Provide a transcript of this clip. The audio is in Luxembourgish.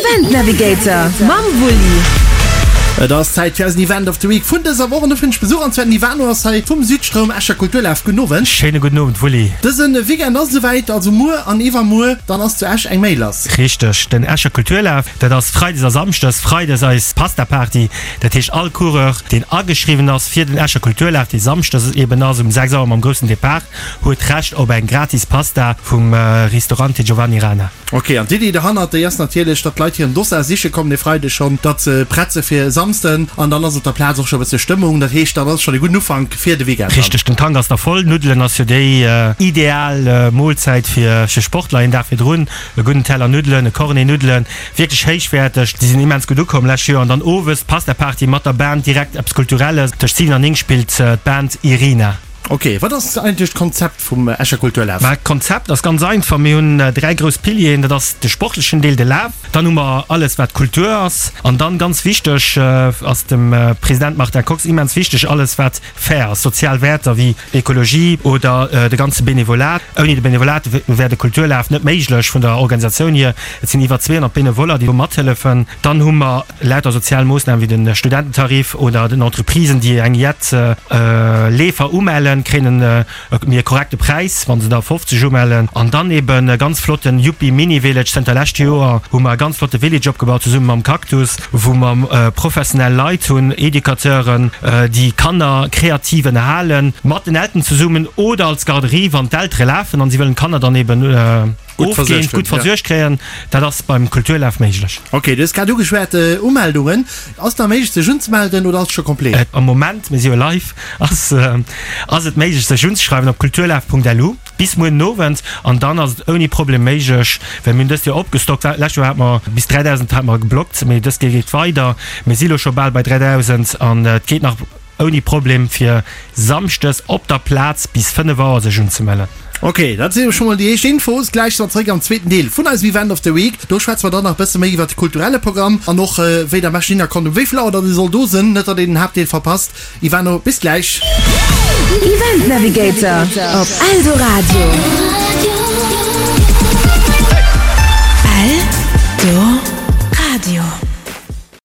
Event Navigator mam Wulli. Et ass Zäit fir eisen Event of the Week vun dëser Woch an do fënnt ech Besuch an zwar den Ivano ass hei vum Südstroum Escher Kulturlaf. Gudden Owend. Schéine gudden Owend Wulli. Dëse Weekend ass et esouwäit, also muer an iwwermuer, dann ass zu Esch eng Méi lass. Richteg, den Escher Kulturlaf, dat ass Freides a Samschdes. Freides eis Pasta-Party, dat heescht all Coureur deen ageschriwwen ass fir den Escher Kulturlaf, dee Samschdes eben ass um 6 Auer mam groussen Depart, huet Recht op eng gratis Pasta vum Ristorante Giovanni Rana. Ok, an d'Iddi derhannert, déi ass natierlech, datt d'Leit hiren Dossard siche kommen e Freideg schonn, datt se prett se fir e Samsden an dann ass op der Plaz och scho e bësse Stëmmung. Dat heescht, dann ass schonn e gudden Ufank fir de Weekend dann. Richteg, den Tank ass da voll. Nuddelen ass jo déi ideal Moolzäit fir Sportler een Dag virdrun. E gudden Teller Nuddelen, e Cornet Nuddelen, wierklech héichwäerteg. Déi sinn immens gutt ukomm lescht Joer. An dann owes d'Pasta-Party mat der Band, direkt eppes Kulturelles. Tëscht 7 an 9 spillt d'Band Irina. Ok, wat ass eigentlech d'Konzept vum Escher Kulturlaf? Mä d'Konzept ass ganz einfach, Mir hunn 3 grouss Pilieren, dat ass de sportlechen Deel, de Laf, dann hu mer alles wat Kultur ass an dann, ganz wichteg, ass dem President Martin Kox immens wichteg, alles wat fair ass, sozial Wäerter wéi Ekologie oder de ganze Benevolat. Ouni de Benevolat wär de Kulturlaf net méiglech vun der Organisatioun hier. Et sinn iwwer 200 Benevoller, déi do mathëllefen. Dann hu mer lauter sozial Moossnamen wéi de Studententarif oder den Entreprisen, déi eng jett Leefer umellen, kréien e méi e korrekte Präis, wa se der 50 umellen. An dann eben e ganz flotten Yuppi Mini Village. Zënter lescht Joer hu mer e ganz flotte Village opgebaut zesumme mam Cactus, wou mer professionell Leit hunn, Educateuren, déi Kanner kreativ ënnerhalen, mat den Elteren zesummen oder als Garderie, wann d'Eltere lafen an si wëllen d'Kanner dann eben Gutt versuergt ofgehend, gutt versuergt kréien. Dat ass beim Kulturlaf méiglech. Ok, du hues grad ugeschwat, Umeldungen. Ass et nach méiglech sech unzemelden oder ass et scho complet? Am Moment, mir si jo live, ass ass et méiglech sech unzeschreiwen op kulturlaf.lu bis muer den Owend an dann ass et ouni Problem méiglech, well mir hunn dëst Joer opgestockt. Lescht Joer hate mer bis 3.000 hate mer geblockt, mee dëst Joer geet weider. Mir si lo scho bal bei 3.000 an et geet nach Ouni Problem fir Samschdes op der Plaz bis 5 Auer sech unzemellen. Ok, dat si jo scho mol déi éischt Infos. Gläich si mer zeréck am zweeten Deel vun eisem Event of the Week. Do schwätze mer dann nach e bësse méi iwwert de kulturelle Programm an och wéi der am beschten hinner kommt, um wéi vill Auer datt ee soll do sinn, net datt een den Haaptdeel verpasst. Ivano, bis gläich. Event Navigator op Eldoradio.